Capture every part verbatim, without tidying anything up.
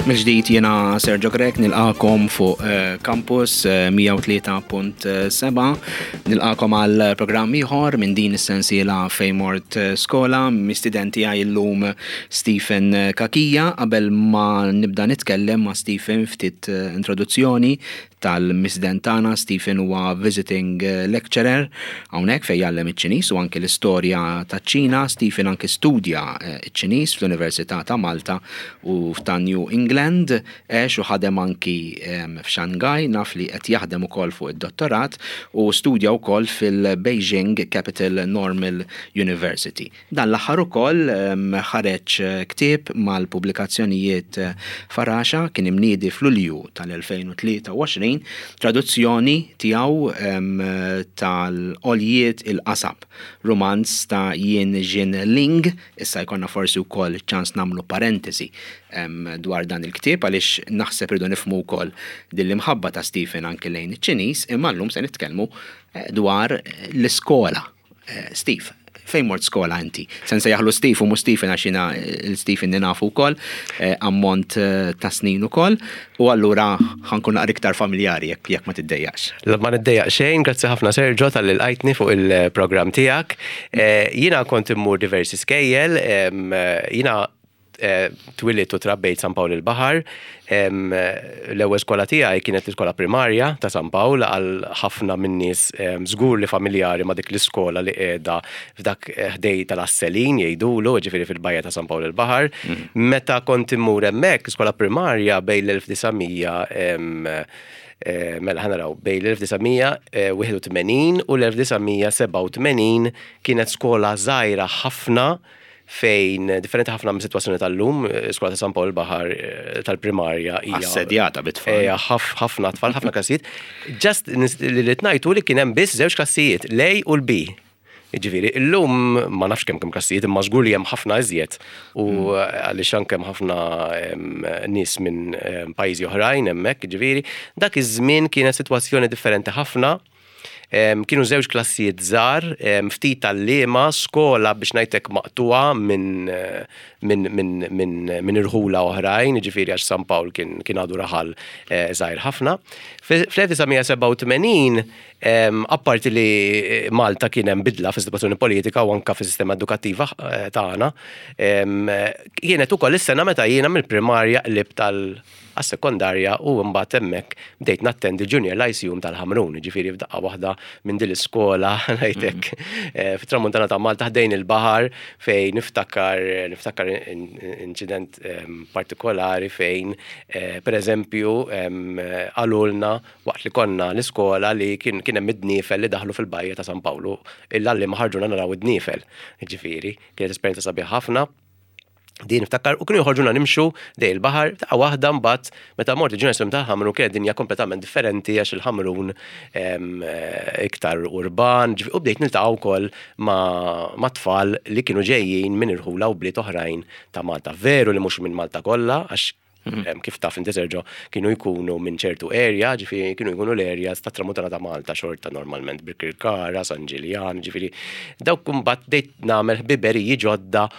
Mill-ġdid jiena Sergio Grech nilqagħkom fuq eh, Campus eh, mija u tlieta punt seba', nilqagħkom għal programm ieħor minn din is-sensiela Fejn Mort Skola. Mistieden tiegħi llum Stephen Cachia. Qabel ma nibda nitkellem ma' Stephen, ftit eh, introduzzjoni tal-mistieden tagħna. Stephen huwa visiting lecturer hawnhekk fejn jgħallem iċ-Ċiniż u anke l-istorja taċ-Ċina. Stephen anke studja iċ-Ċiniż fl-Università ta' Malta u ta' New England, għex u ħadem anki f'Shanghai, naf li qed jaħdem ukoll fuq id-dottorat u studja wkoll fil-Beijing Capital Normal University. Dan l-aħħar ukoll ħareġ ktieb mal-pubblikazzjonijiet Faraxa, kien imniedi f'Lulju tal-elfejn u tlieta u għoxrin, traduzzjoni tiegħu tal-Għoljiet il-Qasab, romanz ta' Yin Jin Ling. Issa jkollna forsi wkoll ċans nagħmlu parentesi dwar dan il-ktieb għaliex naħseb irridu nifhmu wkoll din l-imħabba ta' Stephen anke lejn iċ-Ċiniż, imma llum se nitkellmu eh, dwar l-iskola. Eh, Steve, fejn mort skola inti? Se nsejjaħlu Steve u mhux Stephen għax jiena il-Stephen nafu wkoll, eh, ammont ta' snin ukoll, u allura ħa nkun naqra iktar familjari jekk jekk ma tiddejjax. Ma niddejjaq xejn, grazzi ħafna, Sergio, talli lqajtni fuq il-programm tiegħek. Jiena kont immur diversi skejjel, jiena twilidt u trabbejt San Pawl il-Baħar. L-ewwel skola tiegħi kienet l-iskola primarja ta' San Pawl. Għal ħafna min-nies żgur li familjari ma' dik l-iskola li qiegħda f'dak ħdejn tal-Asselin jgħidulu, ġifieri fil-bajja ta' San Pawl il-Baħar. Meta kont immur hemmhekk, iskola primarja bejn l-elf disa' mija, mela ħa naraw, bejn l-elf disa' mija wieħed u tmenin u l-elf disa' mija sebgħa u tmenin, kienet skola żgħira ħafna fejn differenti ħafna minn situazzjoni tal-lum, skola ta' San Pawl Baħar eh, tal-primarja hija assedjata bit-tfal. Hija ħafna tfal, ħafna klassijiet. Just li li tnajtu li kien hemm biss żewġ klassijiet, l-A u l-B. Ġifieri, illum ma nafx kemm kemm klassijiet, imma żgur li hemm ħafna iżjed. U għaliex anke hemm ħafna em, nies minn em, pajjiżi oħrajn hemmhekk, ġifieri, dak iż-żmien kienet sitwazzjoni differenti ħafna. Em, kienu żewġ klassijiet żgħar, em, ftit tal-liema, skola biex ngħidlek maqtuha minn min, min, min, min irħula oħrajn, ġifieri għax San Pawl kien, kien għadu raħal eh, żgħir ħafna. Fl-elf disa' mija sebgħa u tmenin, em, apparti li Malta kien hemm bidla fis-sitwazzjoni politika u anka fis-sistema edukattiva eh, tagħna, em, kienet ukoll is-sena meta jiena mill-primarja qlibt tal għas-sekondarja u mbagħad hemmhekk bdejt nattendi Junior Lyceum tal-Ħamrun, ġifieri f'daqqa waħda minn din l-iskola ngħidlek eh, fit-tramuntana ta' Malta ħdejn il-baħar, fejn niftakar niftakar inċident em, partikolari fejn eh, pereżempju em, qalulna waqt li konna l-iskola li kien kien hemm id-dniefel li daħlu fil-bajja ta' San Pawlu, il-għalliema ħarġuna naraw id-dniefel. Ġifieri, kienet esperjenza sabiħ ħafna. Din niftakar u kienu joħorġuna nimxu ħdejn il-baħar. Ta' waħda mbagħad meta mort il-Junior Lyceum tal-Ħamrun kienet dinja kompletament differenti għax il-Ħamrun em, eh, iktar urban, ġifi- u bdejt niltaqa' wkoll ma' ma' tfal li kienu ġejjin minn irħula u bliet oħrajn ta' Malta. Veru li mhux minn Malta kollha, għax em, kif taf inti, Sergio, kienu jkunu minn ċertu area, ġifieri kienu jkunu l-areas ta' tramuntana ta' Malta xorta normalment, Birkirkara, San Ġiljan, ġifieri dawk mbagħad bdejt nagħmel ħbiberiji ġodda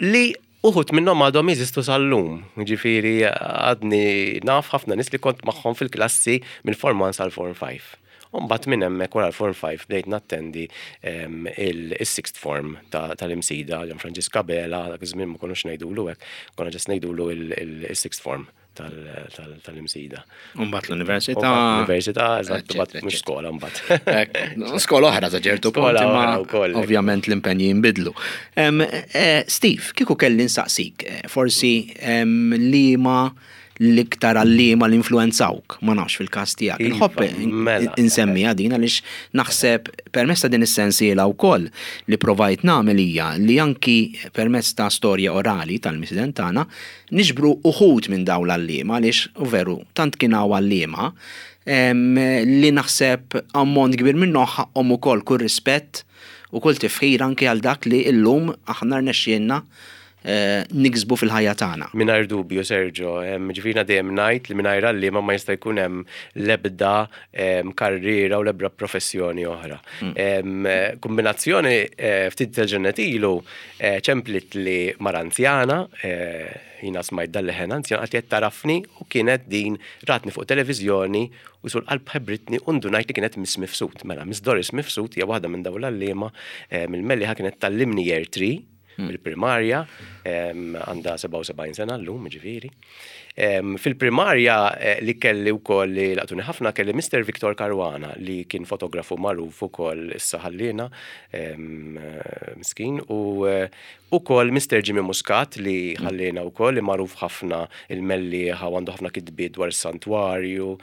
li uħud minnhom għadhom jeżistu sal-lum. Ġifieri għadni naf ħafna nies li kont magħhom fil-klassi mill-Form one sal-Form five. U mbagħad minn hemmhekk wara l-Form five bdejt nattendi em, il-Sixth Form ta- tal-Imsida, Ġan Franġisk Abela, dak iż-żmien ma konniex ngħidulu hekk, konna just ngħidulu il-Sixth Form tal- tal- tal-Imsida. Mbagħad l-università. Università, eżatt, eccetera, mbagħad mhux eccetera. skola mbagħad. Ek, skola oħra ta' ċertu punt, Skola imma oħra wkoll. ovvjament l-impenji jinbidlu. Em, eh, Steve, kieku kelli nsaqsik, eh, forsi em, li ma l-iktar għalliema li influenzawk, ma nafx fil-kas tiegħek. Iva, Nħobb mela. insemmi din għaliex naħseb permezz ta' din is-sensiela wkoll li provajt nagħmel hija li anki permezz ta' storja orali tal-mistieden tagħna niġbru uħud minn dawn l-għalliema, għaliex u veru tant kien hawn għalliema em, li naħseb ammont kbir minnhom ħaqhom ukoll kull rispett u kull tifħir anki għal dak li illum aħna rnexxielna eh, niksbu fil-ħajja tagħna. Mingħajr dubju, Sergio, ġifieri dejjem ngħid li mingħajr għalliema ma jista' jkun hemm l-ebda karriera u l-ebda professjoni oħra. Mm. Kombinazzjoni, eh, ftit tal-ġranet ilu eh, ċemplitli mara anzjana, jiena smajt dal-leħen anzjan, qaltli tagħrafni, u kienet din ratni fuq televizjoni u sul qalb ħebritni u ndunajt li kienet Miss Mifsud. Mela, Miss Doris Mifsud hija waħda minn dawn l-għalliema mill-Mellieħa, kienet tgħallimni year three mill-primarja, għandha sebgħa u sebgħin sena llum, ġifieri. Fil-primarja eh, li kelli wkoll li laqtuni ħafna, kelli Mister Victor Caruana, li kien fotografu magħruf ukoll, issa ħallina miskin, u ukoll Mister Jimmy Muscat li ħallina wkoll, li magħruf ħafna il-Mellieħa u għandu ħafna kitbiet dwar is-santwarju.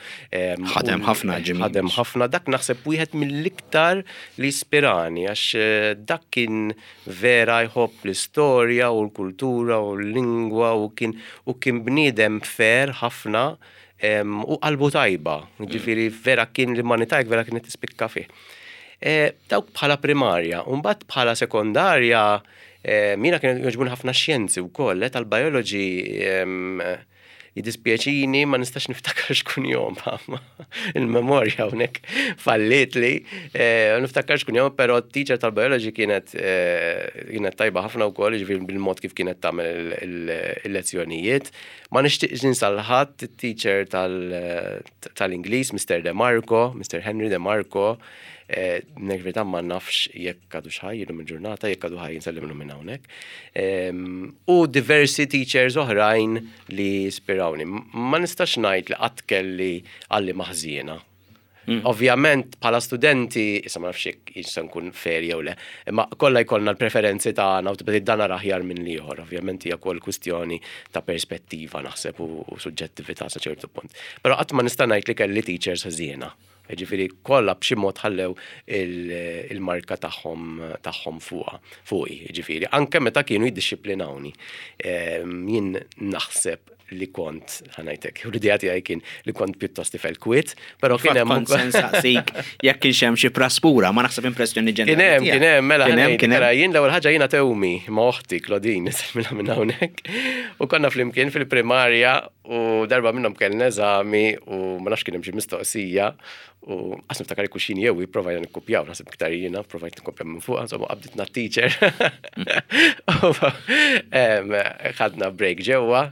Ħadem ħafna Jimmy. Ħadem ħafna, dak naħseb wieħed mill-iktar li ispirani, għax eh, dak kien vera jħobb l-istorja u l-kultura u l-lingwa u kien u kien bniedem fair ħafna u qalbu tajba. Ġifieri vera kien l-umanità vera kienet tispikka fih. E, dawk bħala primarja, u mbagħad bħala sekondarja, e, jiena kien jogħġbuni ħafna xjenzi wkoll, eh, tal-biology jidispjaċini ma nistax niftakar x'kunjom, il-memorja hawnhekk fallitli, eh, niftakar x'kunjom, però teacher tal-biology kienet kienet tajba ħafna wkoll, ġifieri bil-mod kif kienet tagħmel il-lezzjonijiet. Ma nixtieqx ninsa lil ħadd, teacher tal-Ingliż, Mister De Marco, Mister Henry De Marco, Nek verità ma nafx jekk għadu ħaj illum il-ġurnata, jekk għadu ħaj nsellimlu minn hawnhekk. U diversi teachers oħrajn li ispirawni. Ma nistax ngħid li qatt kelli għalliema ħżiena. Mm. Ovvjament, bħala studenti, issa ma nafx jekk jista' nkun fair jew le, imma kollha jkollna l-preferenzi tagħna u tibda dan aħjar minn l-ieħor. Ovvjament hija wkoll kwistjoni ta' perspettiva, naħseb, u suġġettività sa ċertu punt. Però qatt ma nista' ngħid li kelli teachers ħżiena. Ġifieri kollha b'xi mod ħallew il-marka tagħhom tagħhom fuqha, fuqi, ġifieri anke meta kienu jiddixxiplinawni. Jien naħseb li kont, ħa ngħidlek, u l-idea tiegħi kien li kont pjuttost tifel kwiet, però kien hemm Kont se nsaqsik jekk kienx hemm xi praspura, ma naħseb impressjoni Kien hemm, kien hemm, mela, kien hemm, kien hemm. Jien l-ewwel ħaġa jiena tewmi ma' oħti Claudine, nisemmilha minn hawnhekk. U konna flimkien fil-primarja u darba minnhom kellna eżami u ma nafx kien hemm xi mistoqsija u qas niftakar kuxin jew provajna nikkupjaw, naħseb iktar jiena, provajt nikkupjaw minn fuq, insomma qabditna teacher. Ħadna break ġewwa.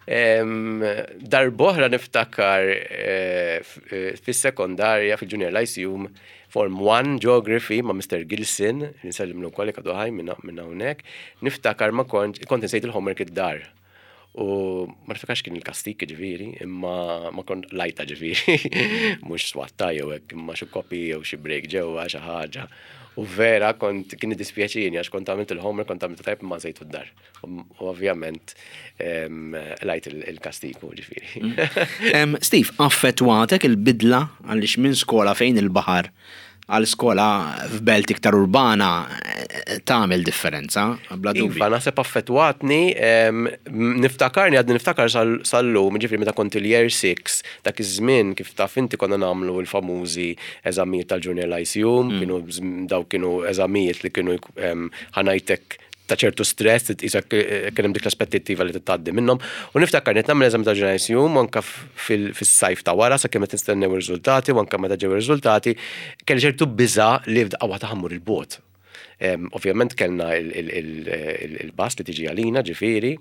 Darb'oħra niftakar eh, eh, fis-sekondarja, fil-Junior Lyceum, Form one Geography ma' Mister Gilson, nsellimlu wkoll għadu ħaj minn hawnhekk. Niftakar ma kont kont insejt il-homework id-dar. U ma niftakarx kien il-kastik ġifieri, imma ma kont lajta ġifieri, mhux swatta jew hekk, imma xi kopi jew xi break ġewwa xi ħaġa. U vera kont kien dispjaċini għax kont għamilt il-homework, kont għamilt tajb, ma nsejtu d-dar. U ovvjament lajt il-kastiku ġifieri. Mm. Steve, affettwatek il-bidla, għaliex minn skola fejn il-baħar għal skola f'belt iktar urbana eh, tagħmel differenza, bla dubju. Iva, naħseb affettwatni, niftakarni, għadni niftakar sal-lum, ġifieri meta kont il-year six, dak iż-żmien, kif taf inti, konna nagħmlu l-famużi eżamijiet tal-Junior Lyceum, mm. kienu daw kienu eżamijiet li kienu, ħa ngħidlek, ta' ċertu stress, tqisek kien hemm dik l-aspettattiva li tgħaddi minnhom. U niftakar qed nagħmel eżami ta' Lyceum anka fis-sajf ta' wara sakemm qed nistennew ir-riżultati, u anka meta ġew ir-riżultati kelli ċertu biża' li f'daqqa waħda ħa mmur 'il bogħod. Ovvjament kellna il-bus li tiġi għalina ġifieri,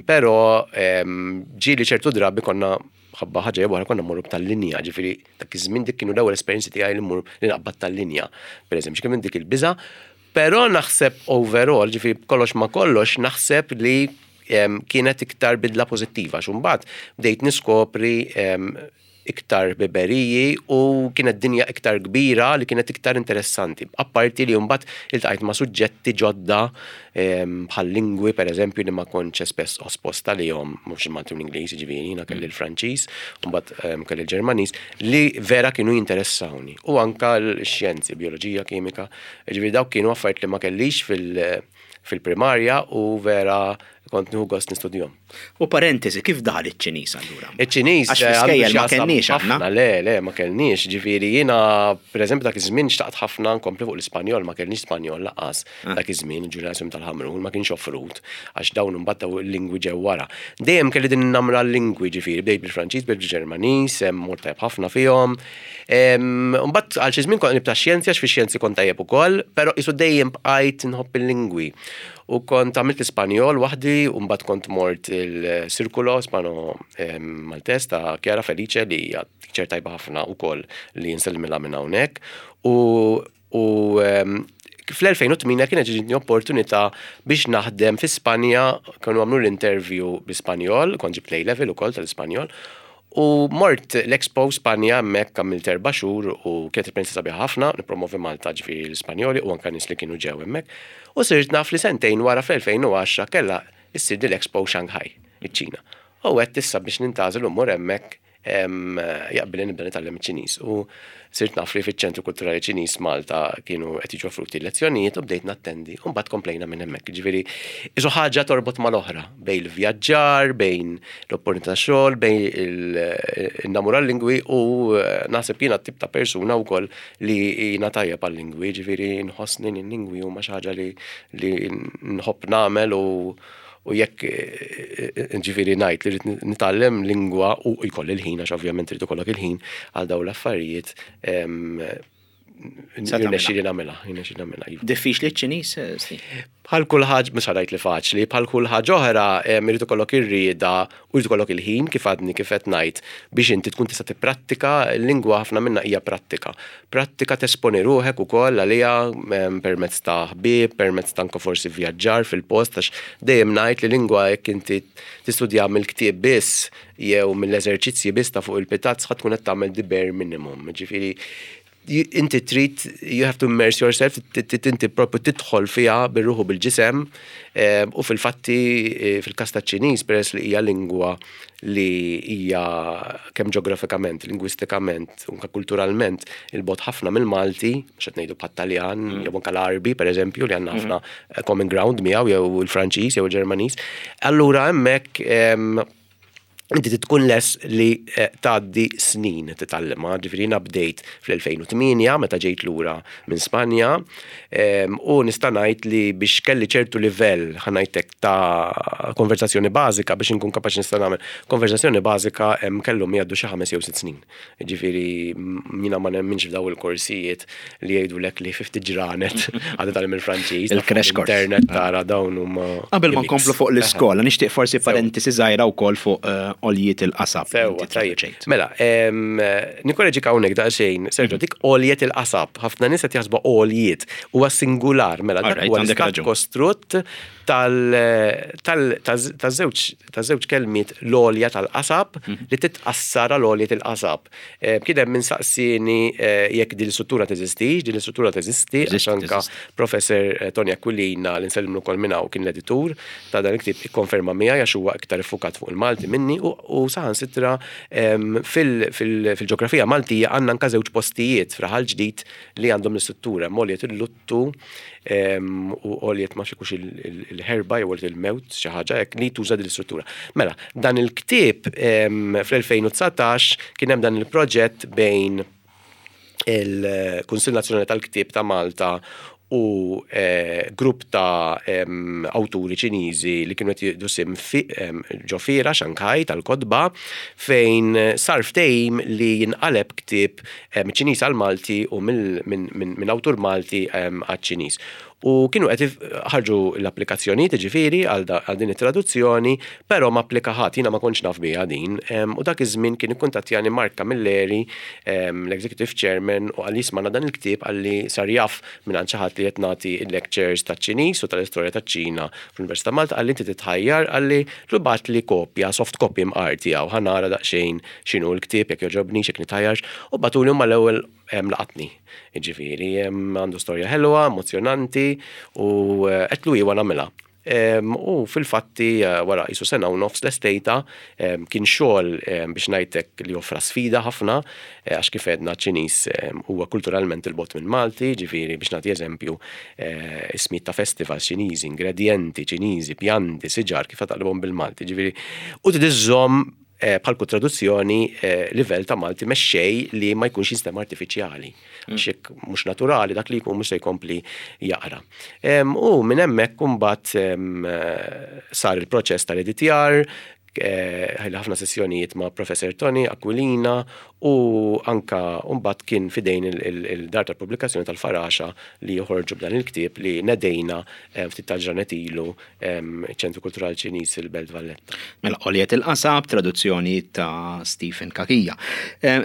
però ġieli ċertu drabi konna ħabba ħaġa jew konna mmorru tal-linja, ġifieri dak iż-żmien dik kienu l-ewwel esperjenzi tiegħi li mmur li naqbad tal-linja. Per eżempju, kien dik il-biża'. Però naħseb overall, ġifieri kollox ma kollox, naħseb li kienet iktar bidla pozittiva. Imbagħad bdejt niskopri iktar ħbiberiji u kienet dinja iktar kbira li kienet iktar interessanti. Apparti li mbagħad iltqajt ma' suġġetti ġodda bħal lingwi, per eżempju, li ma kontx spess esposta li jom, mhux il-Malti u l-Ingliż, ġifieri, jiena kelli l-Franċiż, mbagħad kelli l-Ġermaniż, li vera kienu jinteressawni. U anka l-xjenzi, bioloġija, kimika, ġifieri dawk kienu affarijiet li ma kellix fil- fil-primarja u vera kont nieħu gost nistudjahom. U parentesi, kif daħal iċ-Ċiniż allura? Iċ-Ċiniż Għax fl-iskejjel ma kellniex aħna. Le, le, ma kellniex. Ġifieri jiena, pereżempju, dak iż-żmien xtaqt ħafna nkompli fuq l-Ispanjol, ma kellniex Spanjol lanqas ah. dak iż-żmien, il-ġimnasjum tal-Ħamrun ma kienx offrut għax dawn imbagħad il-lingwi ġew wara. Dejjem kelli din namra l-lingwi ġifieri, bdejt bil-Franċiż, bdejt bil-Ġermaniż, mort tajjeb ħafna fihom. Mbagħad għal xi żmien kont nibta xjenzi għax fi xjenzi kont tajjeb ukoll, però isu dejjem bqajt nħobb il-lingwi. U kont għamilt l-Ispanjol waħdi u mbagħad kont mort il-Circulo Ispano Maltes ta' Chiara Felice li hija teacher tajba ħafna ukoll li nsellimilha minn hawnhekk. U u fl-elfejn u tmienja kienet ġietni opportunità biex naħdem fi Spanja, kienu għamlu l-interview bi-Spanjol, kont ġibt level ukoll tal-Ispanjol, u mort l-Expo Spanja hemmhekk għamilt erba' xhur u kienet esperienza sabiħa ħafna, nippromovi Malta ġifieri l-Ispanjoli u anka nies li kienu ġew hemmhekk. U sirt naf li sentejn wara fl-elfejn u għaxra kellha issir l-Expo Shanghai, iċ-Ċina. U għedt issa biex nintgħażel u mmur hemmhekk jaqbilli nibda nitgħallem iċ-Ċiniż. U sirt naf li fiċ-Ċentru Kulturali Ċiniż Malta kienu qed jiġu offruti lezzjonijiet u bdejt nattendi u mbagħad komplejna minn hemmhekk. Ġifieri isu ħaġa torbot mal-oħra bejn il-vjaġġar, bejn l-opportunità xogħol, bejn il-namura l-lingwi u eh, naħseb jiena tip ta' persuna wkoll li jiena tajjeb għal-lingwi, ġifieri nħossni l-lingwi huma xi ħaġa li nħobb nagħmel u u jekk eh, eh, ġifieri ngħid li rrid nitgħallem lingwa u jkolli l-ħin, għax ovvjament irid ikollok il-ħin għal dawn l-affarijiet, jirnexxili nagħmilha, jirnexxili nagħmilha. Iva. Diffiċli ċ-Ċiniż, eh, Bħal kull ħaġa, mhux ngħid li faċli, bħal kull ħaġa oħra irid ikollok ir-rieda u jrid ikollok il-ħin kif għadni kif qed ngħid biex inti tkun tista' tipprattika. L-lingwa ħafna minnha hija prattika. Prattika tesponi ruħek ukoll għaliha permezz ta' ħbieb, permezz ta' anke forsi vjaġġar fil-post, għax dejjem ngħid li lingwa jekk inti tistudja mill-ktieb biss jew mill-eżerċizzji biss ta' fuq il-pitazz ħa tkun qed tagħmel the bare minimum. Ġifieri inti trid, you have to immerse yourself, inti propju tidħol fiha bir-ruħu bil-ġisem u fil-fatti eh, fil-kas ta' Ċiniż peress li hija lingwa li hija kemm ġeografikament, lingwistikament, unka kulturalment il-bogħod ħafna mill-Malti, mhux qed ngħidu bħat-Taljan, mm. jew anke l-Arbi pereżempju li għandna ħafna mm. common ground miegħu jew il-Franċiż jew il-Ġermaniż. Allura hemmhekk inti tkun lest li eh, tgħaddi snin titgħallimha, ġifieri jiena bdejt fl-elfejn u tmienja meta ġejt lura minn Spanja u nista' ngħid li biex kelli ċertu livell ħa ngħidlek ta' konversazzjoni bażika biex inkun kapaċi nista' nagħmel konversazzjoni bażika kellhom jgħaddu xi ħames jew sitt snin. Ġifieri jiena ma nemminx f'daw il-korsijiet li jgħidulek li fi ftit ġranet għadha tgħallem il-Franċiż. Il-crash course. Internet tara dawn huma. Qabel ma nkomplu fuq l-iskola, nixtieq forsi parentesi żgħira wkoll fuq eh, Għoljiet il-Qasab. Sewa, tajjeb. Mela, nikkoreġik hawnhekk daqsxejn, Sergio, dik Għoljiet il-Qasab, ħafna nies qed jaħsbu għoljiet, huwa singular, mela dak huwa l-istat kostrutt tal-żewġ kelmiet l-għolja tal-qasab mhm. li titqassar għal Għoljiet il-Qasab. Kien hemm min saqsieni eh, jekk din l-istruttura teżistix, din l-istruttura teżisti, għax anka professor eh, Tony Aquilina li nsellimlu wkoll minn hawn kien l-editur ta' dan il-ktieb ikkonferma miegħi għax huwa iktar iffukat fuq il-Malti minni u saħansitra fil-ġeografija Maltija għandna anka żewġ postijiet f'Raħal Ġdid li għandhom l-istruttura, Għoljiet il-Luttu u Għoljiet ma xikux il-ħerba jew Għoljiet il-mewt xi ħaġa hekk li tuża din l-istruttura. Mela, dan il-ktieb fl-elfejn u dsatax kien hemm dan il-proġett bejn il-Kunsill Nazzjonali tal-Ktieb ta' Malta u eh, grupp ta' awturi Ċiniżi li kienu qed jieħdu sehem ġo fiera Shanghai tal-kotba fejn sar ftehim li jinqaleb ktieb Ċiniż għal Malti u minn awtur Malti għal Ċiniż. U kienu qed ħarġu l-applikazzjonijiet ġifieri għal din it-traduzzjoni, però ma applika ħadd, jiena ma kontx naf biha din. U dak iż-żmien kien ikkuntattjani Mark Camilleri, l-Executive Chairman, u qalli isma' dan il-ktieb qalli sar jaf minn xi ħadd li qed nagħti lectures ta' Ċiniż u tal-istorja taċ-Ċina fl-Università Malta, qalli inti titħajjar, qalli ibgħatli kopja, soft copy mqar tiegħu, ħa nara daqsxejn x'inhu l-ktieb jekk jogħġobni, jekk nitħajjarx, u bagħtuli mal-ewwel laqatni. Ġifieri, għandu storja ħelwa, emozjonanti u eh, għedtlu iva nagħmilha. U fil-fatti eh, wara qisu sena u nofs lestejtha. Kien xogħol, biex ngħidlek, li offra sfida ħafna, eh, għax kif għedna, Ċiniż huwa kulturalment 'il bogħod minn Malti, ġifieri biex nagħti eżempju, eh, ismijiet ta' festivals Ċiniżi, ingredienti Ċiniżi, pjanti, siġar, kif taqlibhom bil-Malti, ġifieri u tiżżomm bħal kull traduzzjoni livell ta' Malti mexxej li ma jkunx jinstema' artifiċjali. Għax jekk mhux naturali, dak li jkun mhux se jkompli jaqra. U minn hemmhekk imbagħad sar il-proċess tal-editjar, ħajli ħafna sessjonijiet ma' Professor Tony Aquilina u anka mbagħad kien fidejn il-dar tal-pubblikazzjoni tal-Faraxa li joħorġu b'dan il-ktieb li nedejna ftit tal-ġranet ilu ċentru Kulturali Ċiniż il-Belt Valletta. Mela, Għoljet il-Qasab, traduzzjoni ta' Stephen Cachia.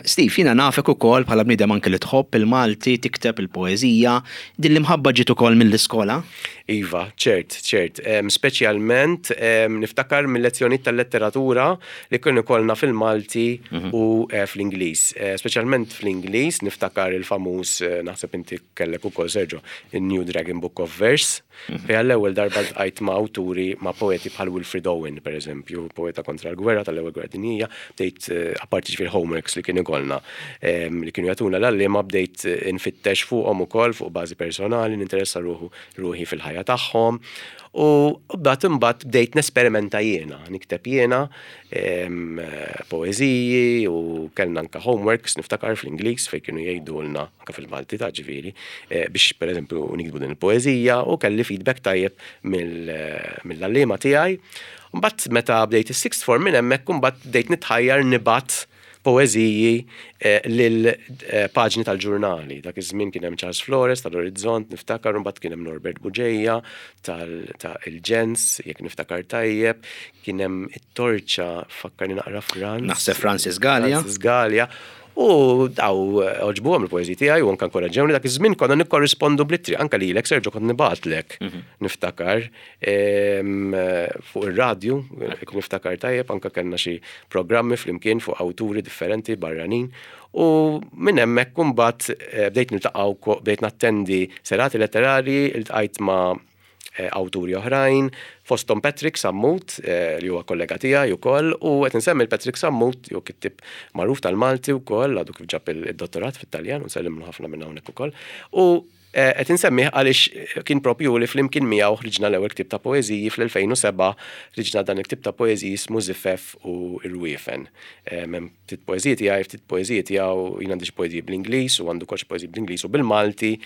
Steve, jiena nafek ukoll bħala bniedem anke li tħobb il-Malti, tikteb il-poeżija, din l-imħabba ġiet ukoll mill-iskola? Iva, ċert, ċert. Speċjalment niftakar mill-lezzjoni tal-letteratura li kienu ikollna fil-Malti mhm. u eh, fl-Ingliż. Eh, speċjalment fl-Ingliż niftakar il-famuż, eh, naħseb inti kellek ukoll, Sergio, il-New Dragon Book of Verse, mhm. fejn għall-ewwel darba ltqajt ma' awturi, ma' poeti bħal Wilfred Owen, per eżempju, poeta kontra l-gwerra tal-ewwel gwerra dinjija. Bdejt, apparti ġifieri homeworks li kien ikollna li kienu jagħtuna l-għalliema, bdejt infittex fuqhom ukoll fuq bażi personali, ninteressa ruħu ruħi fil-ħajja tagħhom. U bdat imbagħad bdejt nesperimenta jiena, nikteb jiena poeżiji u kellna anka homeworks, niftakar, fl-Ingliż fejn kienu jgħidulna anka fil-Malti ta' ġifieri eh, biex pereżempju niktbu din il-poeżija u kelli feedback tajjeb mill-għalliema tiegħi. Mbagħad meta bdejt is-sixth form, minn hemmhekk imbagħad bdejt nitħajjar nibgħat poeżiji eh, lil eh, paġni tal-ġurnali. Dak iż-żmien kien hemm Charles Flores tal-Orizzont, niftakar, mbagħad kien hemm Norbert Bugeja tal-Ġens, jekk niftakar tajjeb, kien hemm it-Torċa, fakkarni naqra, Franz. Naħseb Francis Gallia. Francis Gallia. U daw għoġbuhom il-poeżiji tiegħi u anke inkoraġġewni. Dak iż-żmien konna nikkorrispondu bl-ittri, anke lilek, Sergio, kont nibgħatlek, niftakar fuq ir-radju, jekk niftakar tajjeb, anke kellna xi programmi flimkien fuq awturi differenti barranin. U minn hemmhekk imbagħad eh, bdejt niltaqgħu, bdejt nattendi serati letterari, iltqajt ma' eh, awturi oħrajn, fostom Patrick Sammut, eh, li huwa kollega tiegħi wkoll, u qed insemmi Patrick Sammut, jew kittib magħruf tal-Malti wkoll, għadu kif ġab il-dottorat fit-Taljan, u nsellimlu ħafna minn hawnhekk ukoll. U eh, qed insemmih għaliex kien propju li flimkien miegħu ħriġna l-ewwel ktieb ta' poeżiji fl-elfejn u sebgħa, ħriġna dan il-ktieb ta' poeżiji ismu Zifef u Irwiefen. Hemm ftit poeżiji tiegħi, ftit poeżiji tiegħu, jien għandi xi poeżiji bl-Ingliż u għandu xi poeżiji bl-Ingliż u bil-Malti.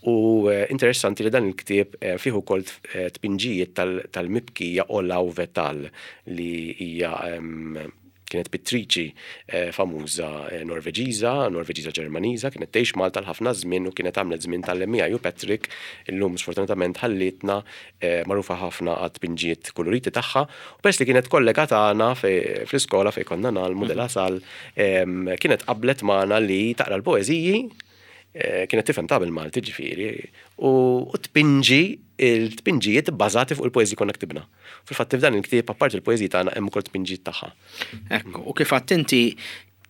U eh, interessanti li dan il-ktieb eh, fih ukoll eh, tpinġijiet tal-mibkija Olaug Vetal, li hija kienet pittriċi famuża Norveġiża, Norveġiża Ġermaniża, kienet tgħix Malta l-ħafna żmien u kienet għamlet żmien tal-emmija ju Patrick, illum sfortunatament ħallitna, magħrufa ħafna għat tpinġijiet koloriti tagħha. U peress li kienet kollega tagħna fl-iskola fejn konna ngħallmu De La Salle, kienet qablet magħna li taqra l-poeżiji, Eh, kienet tifhem ta' bil-Malti ġifieri, u tpinġi il-tpinġijiet bbażati fuq il-poeżiji konna ktibna. Fil-fatt f'dan il-ktieb, apparti il-poeżiji tagħna, hemm ukoll tpinġijiet tagħha. Ekku, u kif inti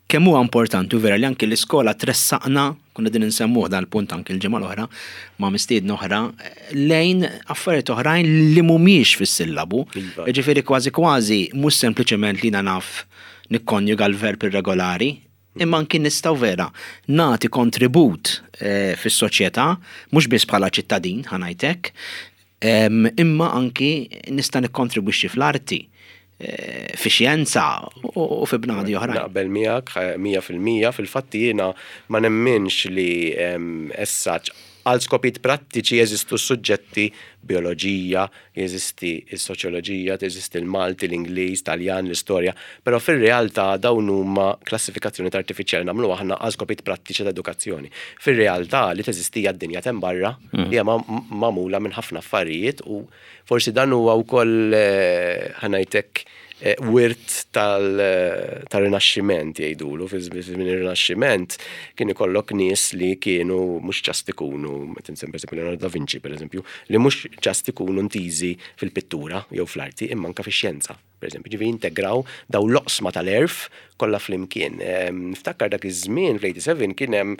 kemm huwa importanti u vera li anki l-iskola tressaqna, konna din nsemmuh dal-punt anki l-ġimgħa l-oħra ma' mistiedna oħra, lejn affarijiet oħrajn li mhumiex fis-sillabu. Iva. Ġifieri kważi kważi mhux sempliċement li naf nikkonjuga l-verb irregolari, imma anki nistgħu vera nagħti kontribut eh, fis-soċjetà, mhux biss bħala ċittadin, ħa ngħidlek, em, imma anki nista' nikkontribwixxi fl-arti, eh, fi xjenza u u fi bnadi oħrajn. Naqbel miegħek eh, mija fil-mija. Fil-fatt jiena ma nemminx li em, essaċ għal skopijiet prattiċi jeżistu suġġetti, bioloġija, jeżisti s-soċjoloġija, jeżisti l-Malti, l-Ingliż, Taljan, l-istorja, però fir-realtà dawn huma klassifikazzjoni artifiċjali nagħmlu aħna għal skopijiet prattiċi ta' edukazzjoni. Fir-realtà li teżisti hija d-dinja t'hemm barra, li hija ma- magħmula minn ħafna affarijiet, u forsi dan huwa wkoll eh, ħa ngħidlek eh, wirt tal-Rinaxximent jgħidulu, fi żmien ir-Rinaxximent kien ikollok nies li kienu mhux just ikunu, meta nsemmi pereżempju Leonardo da Vinci pereżempju, li mhux just ikunu ntiżi fil-pittura jew fl-arti imma anke fix-xjenza. Per eżempju, ġifieri integraw daw l-oqsma tal-għerf kollha flimkien. Niftakar dak iż-żmien fl-sebgħa u tmenin kien hemm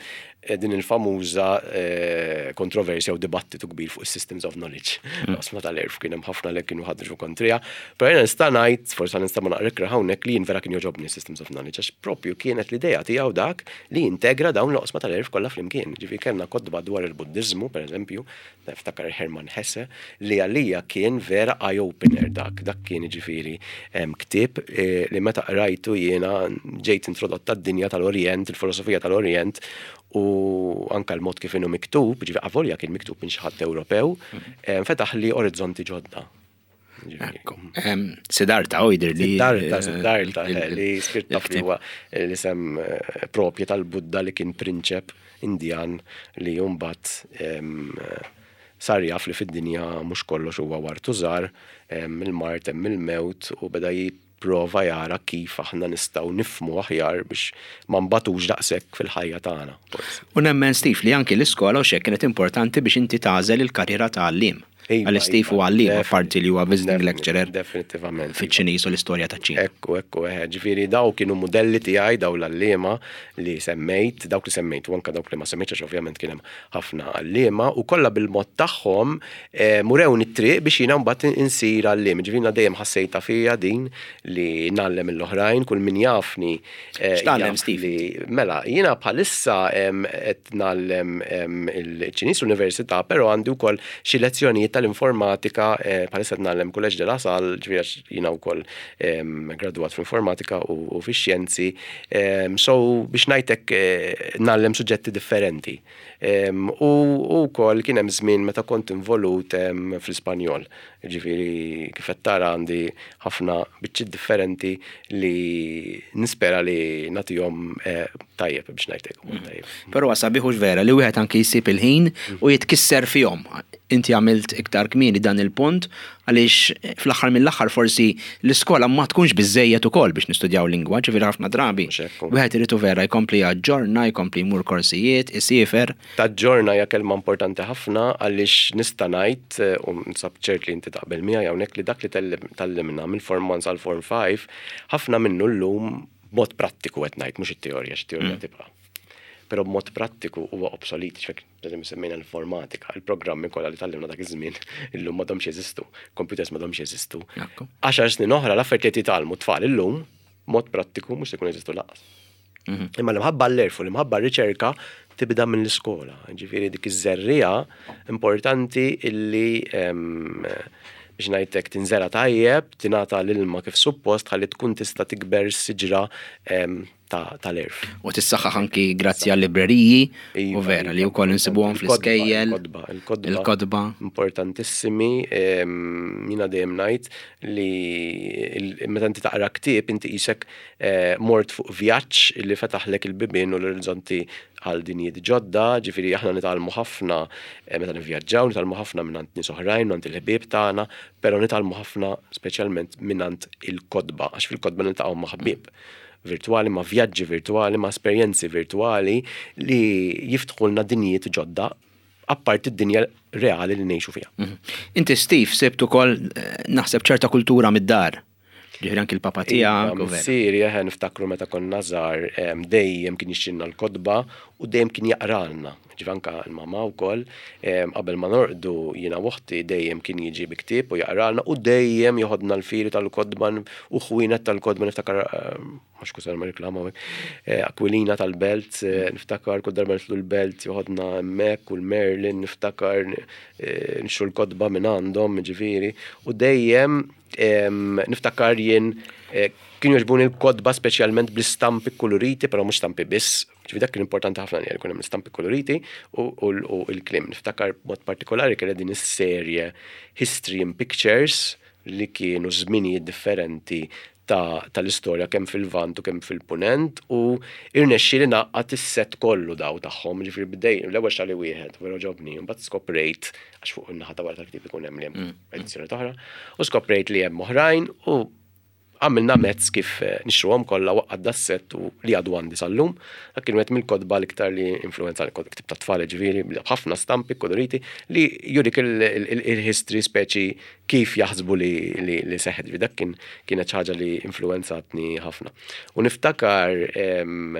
eh, din il-famuża eh, kontroversja u dibattitu kbir fuq is-systems of knowledge. Mm. L-oqsma tal-għerf kien hemm ħafna li kienu ħadġu kontrija. Però jiena nista' ngħid, forsi nista' ma naqra hawnhekk, li jien vera kien jogħġobni systems of knowledge, għax propju kienet l-idea tiegħu dak li integra dawn l-oqsma tal-għerf kollha flimkien. Ġifieri kellna kotba dwar il-Buddiżmu, per eżempju, niftakar Hermann Hesse, li għalija kien vera eye-opener dak. Dak kien ġifieri ktieb eh, li meta qrajtu jiena ġejt introdotta d-dinja tal-Orient, il-filosofija tal-Orient, u anka l-mod kif inhu miktub, ġifieri avolja kien miktub minn xi ħadd Ewropew, fetaħ li orizzonti ġodda. Siddhartha u jidher li. Siddhartha, Siddhartha, li sirt taf li huwa l-isem eh, propju tal-Budda li kien prinċep Indjan li mbagħad sar jaf li fid-dinja mhux kollox huwa ward u żahar, il-mard, hemm il-mewt, u beda jipprova jara kif aħna nistgħu nifhmu aħjar biex ma nbatux daqshekk fil-ħajja tagħna. U nemmen, Steve, li anki l-iskola u xek kienet importanti biex inti tagħżel il-karriera ta' għalliem. Iva, Għal Steve iva, u għalliem, definit- apparti li huwa visiting lecturer Definitivament. fiċ-Ċiniż u l-istorja ta' ċina. Ekku, ekku, eħe, ġifieri daw kienu modelli tiegħi, daw l-għalliema li semmejt, dawk li semmejt, u anka dawk li ma semmejtx, għax ovvjament kien hemm ħafna għalliema, u kollha bil-mod tagħhom eh, urewni t-triq biex jiena mbagħad insir għalliem. Ġifieri jiena dejjem ħassejta fija din li ngħallem l-oħrajn, kull min jafni. eh, X'tgħallem, jaf Steve? li- Mela, jiena bħalissa em, qed ngħallem em, il-Ċiniż l-Università, però għandi wkoll xi lezzjonijiet tal-informatika, eh, bħalissa qed ngħallem Collège de La Salle, ġifieri għax jiena wkoll em, gradwat fl-informatika u, u fix-xjenzi. Em, So biex ngħidlek eh, ngħallem suġġetti differenti. Em, U u wkoll kien hemm żmien meta kont involut em, fl-Ispanjol. Ġifieri kif qed tara għandi ħafna biċċiet differenti li nispera li nagħtihom eh, tajjeb, biex ngħidlek tajjeb. Però sabiħ hux vera li wieħed anki jsib il-ħin u jitkisser fihom. Inti għamilt iktar kmieni dan il-punt għaliex fl-aħħar mill-aħħar forsi l-iskola ma tkunx biżejjed ukoll biex nistudjaw lingwa, ġifieri ħafna drabi. Mhux hekk. Wieħed irid vera jkompli jaġġorna, jkompli jmur korsijiet, isiefer. Taġġorna hija kelma importanti ħafna, għaliex nista' ngħid eh, u nsab ċert li inti taqbel miegħi hawnhekk, li dak li tgħallimna mill-Form one sal-Form five, ħafna minnu llum b'mod prattiku qed ngħid, mhux it-teorija, x'teorija tibqa'. Però b'mod prattiku huwa obsolet, ċfek, per semmejna l-informatika, il-programmi kollha li tgħallimna dak iż-żmien illum m'għadhomx jeżistu, computers m'għadhomx jeżistu. Ekku. Għaxar snin oħra l-affarijiet li titgħallmu tfal illum mod prattiku mhux se jkun jeżistu lanqas. Imma l-imħabba l-għerf u l-imħabba r-riċerka tibda minn l-iskola. Ġifieri dik iż-żerriegħa importanti illi em, biex ngħidlek tinżera tajjeb, tingħata l-ilma kif suppost ħalli tkun tista' tikber siġra em, ta' tal-għerf. U tissaħħaħ anki grazzi għal libreriji u Iva, vera li iva, wkoll insibuhom il-kotba, fl-iskejjel. Il-kotba, il-kotba. Il-kotba. Importantissimi, em, jiena dejjem ngħid li il- meta inti taqra ktieb inti qisek eh, mort fuq vjaġġ li fetaħlek il-bibien u l-orizzonti għal dinjiet ġodda, ġifieri aħna nitgħallmu ħafna eh, meta nivvjaġġaw, nitgħallmu ħafna minn nies oħrajn, minn il-ħbieb tagħna, però nitgħallmu ħafna speċjalment minn il-kotba, għax fil-kotba niltaqgħu ma' ħbieb virtuali, ma' vjaġġi virtuali, ma' esperjenzi virtuali li jiftħulna dinjiet ġodda apparti id-dinja reali li ngħixu fiha. Mhm. Inti, Steve, sibt ukoll eh, naħseb ċerta kultura mid-dar. Ġifieri anki l-papa tiegħek u vera. Missieri, eħe, niftakru meta konna żgħar, em, dejjem kien jixtrilna l-kotba u dejjem kien jaqralna. Ġifieri anka l-mama wkoll, em, qabel ma norqdu jiena u oħti dejjem kien jiġi bi ktieb u jaqralna u dejjem joħodna l-firi tal-kotba u ħwienet tal-kotba, niftakar, em, mhux kusar ma reklama hawnhekk, eh, Aquilina tal-Belt, eh, niftakar kull darba nitlu l-Belt joħodna hemmhekk u l-Merlin, niftakar eh, nixtru l-kotba minn għandhom, ġifieri, u dejjem em, niftakar jien eh, kienu jogħġbuni l-kotba speċjalment bl-istampi koloriti, però mhux stampi biss, ġifieri dak kien importanti ħafna li jkun hemm l-istampi koloriti u, u, u l-kliem. Niftakar mod partikolari kien din is-serje History in Pictures li kienu żminijiet differenti ta' tal-istorja kemm fil-Lvant u kemm fil-Punent, u irnexxi li ngħaqqad is-set kollu daw tagħhom, ġifieri bdej l-ewwel xtrali wieħed, vera għoġobni, mbagħad skoprejt, għax fuq in-naħa ta' wara tal-ktieb ikun hemm li hemm edizzjoni oħra, u skoprejt li hemm oħrajn u Għamilna mezz kif eh, nixtruhom kollha, waqqad das-set u li għadu għandi sal-lum. Dak kien wieħed mill-kotba l-iktar li influenza, ktieb ta' tfal, ġifieri, ħafna stampi koloriti li jurik il-history, speċi kif jaħsbu li, li, li seħħet. Dak kien kienet ħaġa li influenzatni ħafna. U niftakar em,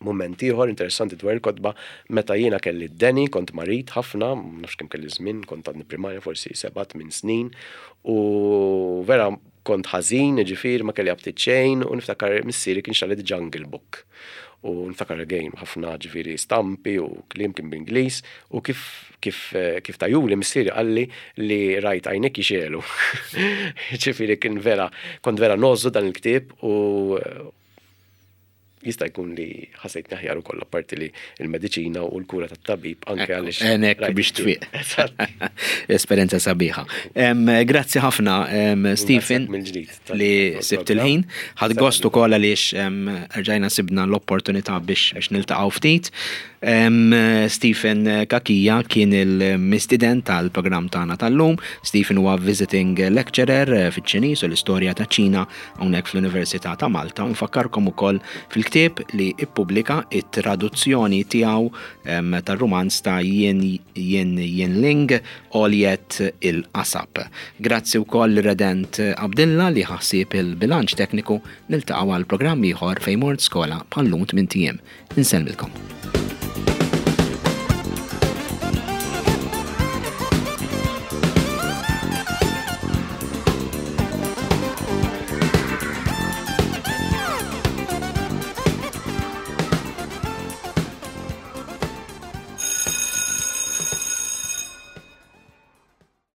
moment ieħor interessanti dwar il-kotba meta jiena kelli d-deni, kont marid ħafna, ma nafx kemm kelli żmien, kont għadni primarja, forsi seba' tmien snin, u vera kont ħażin, ġifieri ma kelli aptit xejn, u niftakar missieri kien xtrali The Jungle Book. U niftakar again ħafna, ġifieri, stampi u kliem kien b'Ingliż, u kif kif kif tahuli missieri qalli li rajt għajnek jixegħlu. Ġifieri kien vera, kont vera ngħożżu dan il-ktieb u jista' jkun li ħassejt aħjar ukoll, apparti li il-mediċina u l-kura tat-tabib anke għaliex. Għenek rajt biex il-ktieb. tfiq. Eżatt. Esperjenza sabiħa. Em, Grazzi ħafna, em, Stephen, mill-ġdid tal- li sibt il-ħin. Ħadt gost ukoll għaliex em, rġajna sibna l-opportunità biex biex niltaqgħu ftit. Em, Stephen Cachia kien il-mistieden tal-programm tagħna tal-lum. Stephen huwa visiting lecturer fiċ-Ċiniż u l-istorja ta' Ċina hawnhekk fl-Università ta' Malta. Nfakkarkom ukoll fil-ktieb li ippubblika, it-traduzzjoni tiegħu em, tar-rumanz ta' Yin Yin Yin Ling, Għoljet il-Qasab. Grazzi wkoll Redent Abdilla li ħassib il-bilanċ tekniku. Niltaqgħu għal programm ieħor Fejn Mort Skola bħal-lum tmint ijiem. Insellmilkom.